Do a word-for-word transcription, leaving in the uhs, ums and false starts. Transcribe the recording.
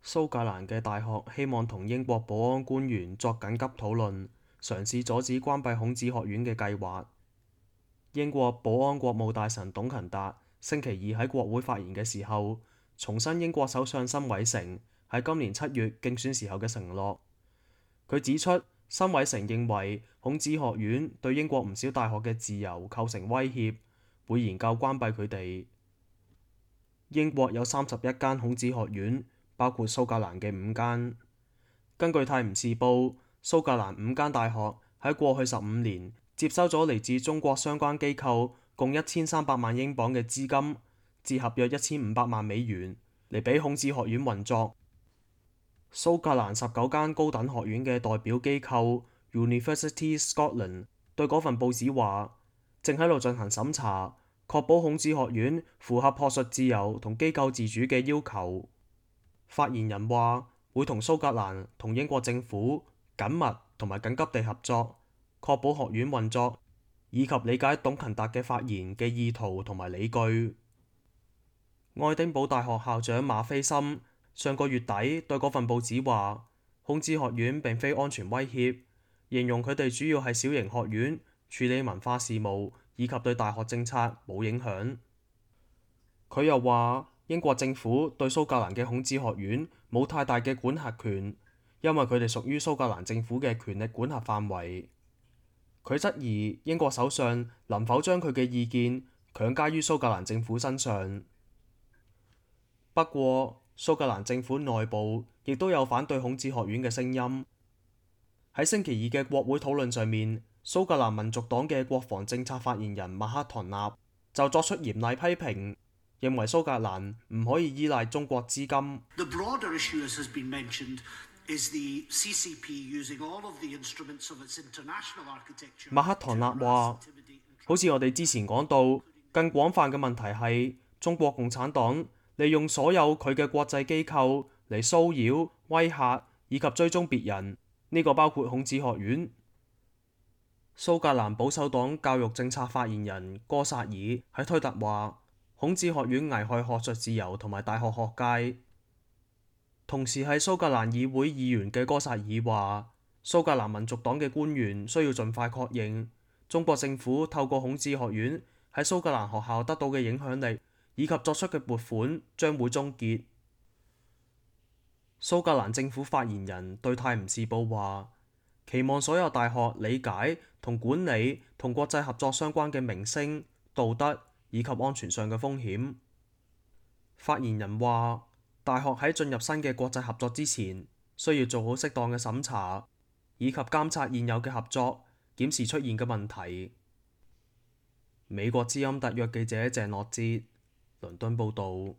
蘇格蘭嘅大學希望同英國保安官員作緊急討論，嘗試阻止關閉孔子學院嘅計劃。英國保安國務大臣董勤達星期二喺國會發言嘅時候，重申英國首相辛偉誠喺今年七月競選時候嘅承諾。佢指出，辛偉誠認為孔子學院對英國唔少大學嘅自由構成威脅，會研究關閉佢哋。英國有三十一間孔子學院，包括蘇格蘭嘅五間。根據《泰晤士報》，蘇格蘭五間大學喺過去十五年接收咗嚟自中國相關機構共一千三百萬英鎊嘅資金，折合約一千五百萬美元，嚟俾孔子學院運作。蘇格蘭十九間高等學院嘅代表機構 University Scotland 對嗰份報紙話，正喺度進行審查，確保孔子學院符合學術自由同機構自主嘅要求。發言人話會同蘇格蘭同英國政府緊密同埋緊急地合作，確保學院運作，以及理解董勤達嘅發言嘅意圖同埋理據。愛丁堡大學校長馬斐森上個月底對嗰份報紙話，孔子學院並非安全威脅，形容佢哋主要係小型學院，處理文化事務以及對大學政策冇影響。佢又話，英國政府對蘇格蘭嘅孔子學院冇太大嘅管轄權，因為佢哋屬於蘇格蘭政府嘅權力管轄範圍。佢質疑英國首相能否將佢嘅意見強加於蘇格蘭政府身上。不過，蘇格蘭政府內部亦都有反對孔子學院嘅聲音。喺星期二嘅國會討論上面，蘇格蘭民族黨嘅國防政策發言人麥克唐納就作出嚴厲批評，認為蘇格蘭唔可以依賴中國資金。麥克唐納話，好似我哋之前講到，更廣泛嘅問題係中國共產黨利用所有佢嘅國際機構嚟騷擾、威嚇以及追蹤別人，呢個包括孔子學院。蘇格蘭保守黨教育政策發言人哥薩爾喺推特話，孔子學院危害學術自由同埋大學學界。同時係蘇格蘭議會議員嘅哥薩爾話，蘇格蘭民族黨嘅官員需要盡快確認中國政府透過孔子學院喺蘇格蘭學校得到嘅影響力以及作出嘅撥款將會終結。蘇格蘭政府發言人對泰晤士報話，期望所有大學理解同管理同國際合作相關嘅名聲、道德以及安全上嘅風險。發言人話，大學喺進入新嘅國際合作之前，需要做好適當嘅審查，以及監察現有嘅合作，檢視出現嘅問題。美國之音特約記者鄭樂哲，倫敦報導。